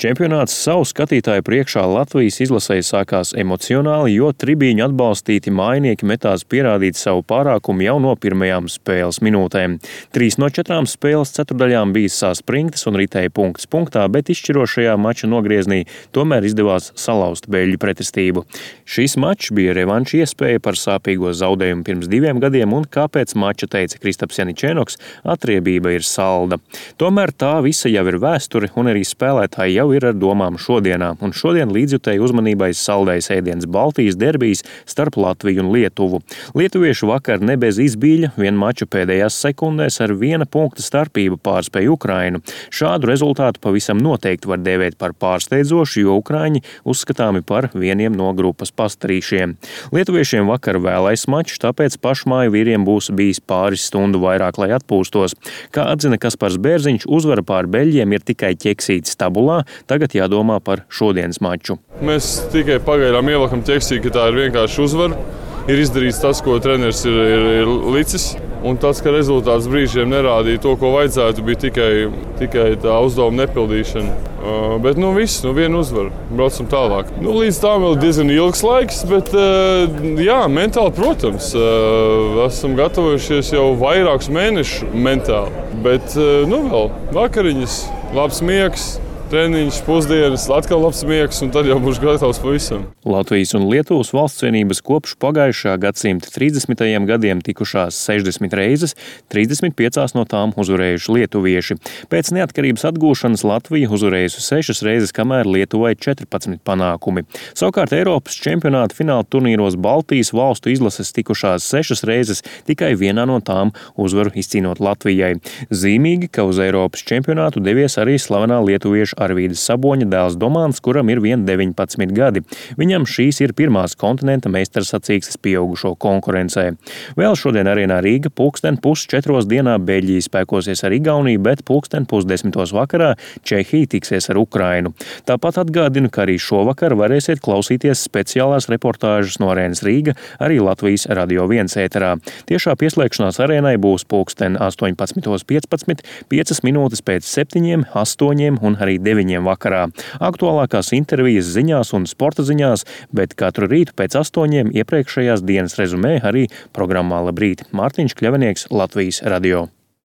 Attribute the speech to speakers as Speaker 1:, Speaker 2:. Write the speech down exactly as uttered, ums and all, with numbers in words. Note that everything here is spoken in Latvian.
Speaker 1: Čempionāts savu skatītāju priekšā Latvijas izlasēji sākās emocionāli, jo tribīņu atbalstīti mājinieki metās pierādīt savu pārākumu jau no pirmajām spēles minūtēm. Trīs no četrām spēles ceturdaļām bija saspringtas un ritēja punkts punktā, bet izšķirošajā mača nogrieznī tomēr izdevās salauzt beļģu pretestību. Šis mačs bija revanša iespēja par sāpīgo zaudējumu pirms diviem gadiem, un kāpēc mača teica Kristaps Janičēnoks, atriebība ir salda. Tomēr tā visa jau ir vēsture, un arī spēlētāji jau ir ar domām šodienā, un šodien līdzjutēji uzmanībai saldais ēdiens Baltijas derbijs starp Latviju un Lietuvu. Lietuvieši vakar ne bez izbīļa, vien maču pēdējās sekundēs ar viena punkta starpību pārspēja Ukrainu. Šādu rezultātu pavisam noteikti var dēvēt par pārsteidzošu, jo ukraiņi uzskatāmi par vieniem no grupas pastarīšiem. Lietuviešiem vakar vēlais mačs, tāpēc pašmāju vīriem būs bijis pāris stundu vairāk, lai atpūstos. Kā atzina Kaspars Bērziņš, uzvara pār beļģiem ir tikai ķeksītis tabulā, tagad jādomā par šodienas maču.
Speaker 2: Mēs tikai pagaidām ielakam ķeksī, ka tā ir vienkārši uzvara. Ir izdarīts tas, ko treneris ir, ir, ir licis. Un tas, ka rezultāts brīžiem nerādīja to, ko vajadzētu, bija tikai, tikai tā uzdevuma nepildīšana. Uh, bet nu viss, nu viena uzvara. Braucam tālāk. Nu, līdz tam vēl diezgan ilgs laiks, bet uh, jā, mentāli, protams, uh, esam gatavojušies jau vairākus mēnešus mentāli. Bet uh, nu vēl vakariņas, labs miegs. Treniņš, pusdienas, atkal labs miegs, un tad jau būs gatavs pavisam.
Speaker 1: Latvijas un Lietuvas valstsvienības kopš pagājušā gadsimta trīsdesmitajiem gadiem tikušās sešdesmit reizes, trīsdesmit piecās no tām uzvarējuši lietuvieši. Pēc neatkarības atgūšanas Latvija uzvarējusi sešas reizes, kamēr Lietuvai četrpadsmit panākumi. Savukārt Eiropas čempionāta fināla turnīros Baltijas valstu izlases tikušās sešas reizes, tikai vienā no tām uzvaru izcīnot Latvijai. Zīmīgi, ka uz Eiropas čempionātu devies arī slavenā lietuvieša Arvīdas Saboņa dēls Domāns, kuram ir vien deviņpadsmit gadi. Viņam šīs ir pirmās kontinenta meistarsacīkstes pieaugušo konkurencē. Vēl šodien arēnā Rīga pulksten pus četros dienā Beļģija spēkosies ar Igauniju, bet pulksten pusdesmitos vakarā Čehija tiksies ar Ukrainu. Tāpat atgādinu, ka arī šovakar varēsiet klausīties speciālās reportāžas no arēnas Rīga arī Latvijas Radio viens ēterā. Tiešā pieslēgšanās arēnai būs pulksten astoņpadsmitos piecpadsmit, piecas minūtes pēc septiņiem, astoņiem un arī deviņiem vakarā. Aktuālākās intervijas ziņās un sporta ziņās, bet katru rītu pēc astoņiem iepriekšējās dienas rezumē arī programmā Labrīt. Mārtiņš Kļavinieks, Latvijas Radio.